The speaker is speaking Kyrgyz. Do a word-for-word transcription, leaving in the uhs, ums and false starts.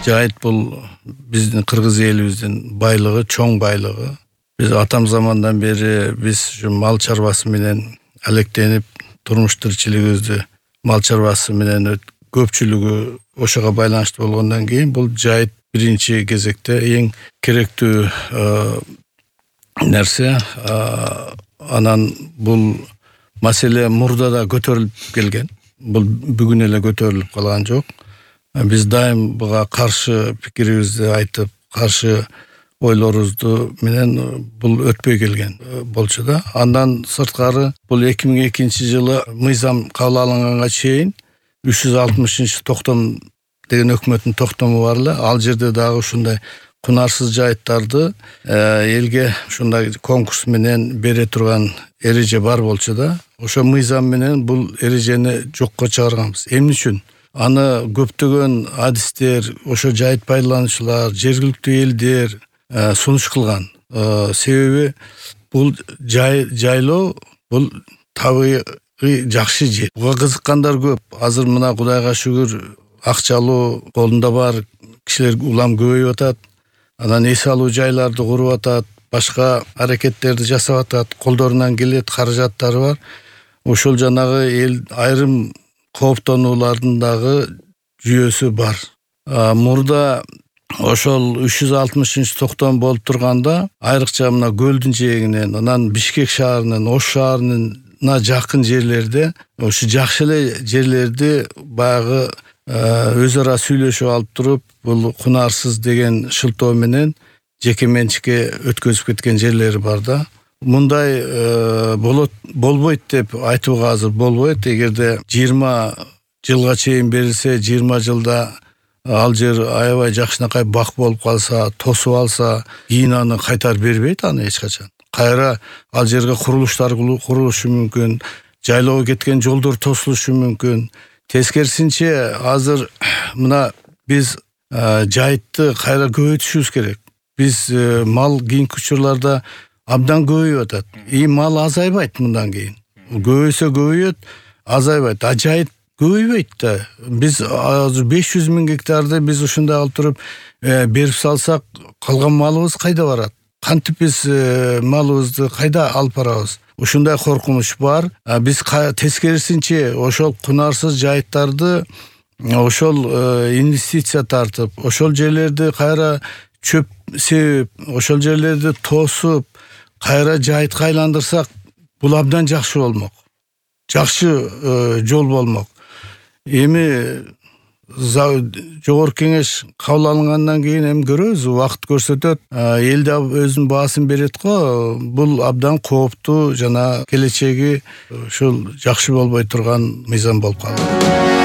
Жайыт бул биздин кыргыз элибиздин байлыгы, чоң байлыгы. Биз атам замандан бери биз ушу мал чарбасы менен алектенип, турмуш тиричилигибизди мал чарбасы менен көпчүлүгү ошого байланыштуу болгондон кийин бул жайыт биринчи кезекте эң керектүү нерсе. Анан бул маселе мурда да көтөрүлүп келген. Бул бүгүн эле көтөрүлүп калган жок. Биз дайым буга каршы пикирибизди айтып, каршы ойлорубузду менен бул өтпөй келген болчу да. Андан сырткары бул эки миң экинчи жылы мыйзам кабыл алынганга чейин үч жүз алтымышынчы токтом деген өкмөттүн токтому бар эле. Ал жерде дагы ушундай кунарсыз жайыттарды элге ушундай конкурс менен бере турган эреже бар болчу да. Ошо мыйзам менен бул эрежени жокко чыгарганбыз. Эмне үчүн? Аны көптөгөн адистер, ошо жайыт пайдалануучулар, жергиликтүү элдер сунуш кылган. Себеби бул жайлоо бул табигый жакшы жер. Буга кызыккандар көп. Азыр мына Кудайга шүгүр акчалуу колунда бар кишилер улам көбөйүп атат. Анан эс алуу жайларды куруп атат, башка аракеттерди жасап атат, колдорунан келет, каражаттары бар. Ошол жанагы эл айрым кооптонуулардын дагы жүйөсү бар. Мурда ошол үч жүз алтымышынчы токтом болуп турганда айрыкча мына көлдүн жээгинен, анан Бишкек шаарынын, Ош шаарына жакын жерлерде ошо жакшы эле жерлерди баягы өз ара сүйлөшүп алып туруп, бул кунарсыз деген шылтоо менен жеке менчикке өткөзүп кеткен жерлери бар да. Мындай болот болбойт деп айтууга азыр болбойт. Эгерде жыйырма жылга чейин берилсе, жыйырма жылда ал жер аябай жакшынакай бак болуп калса, тосуп алса, кийин аны кайтарып бербейт аны эч качан. Кайра ал жерге курулуштар курулушу мүмкүн, жайлоого кеткен жолдор тосулушу мүмкүн. Тескерисинче азыр мына биз жайытты кайра көбөйтүшүбүз керек. Биз мал кийинки учурларда абдан көбөйүп атат. И мал азайбайт мындан кийин. Көбөйсө көбөйөт, азайбайт. А жайыт көбөйбөйт да. Биз азыр беш жүз миң гектарды биз ушундай алып туруп берип салсак, калган малыбыз кайда барат? Кантип биз малыбызды кайда алып барабыз? Ушундай коркунуч бар. Биз тескерисинче ошол кунарсыз жайыттарды ошол инвестиция тартып, ошол жерлерди кайра чөп себип, ошол жерлерди тосуп, кайра жайытка айландырсак, бул абдан жакшы болмок. Жакшы жол болмок. Эми жогорку кеңеш кабыл алынгандан кийин эми көрөбүз, убакыт көрсөтөт. Эл да өзүнүн баасын берет го. Бул абдан кооптуу жана келечеги ушул жакшы болбой турган мыйзам болуп калды.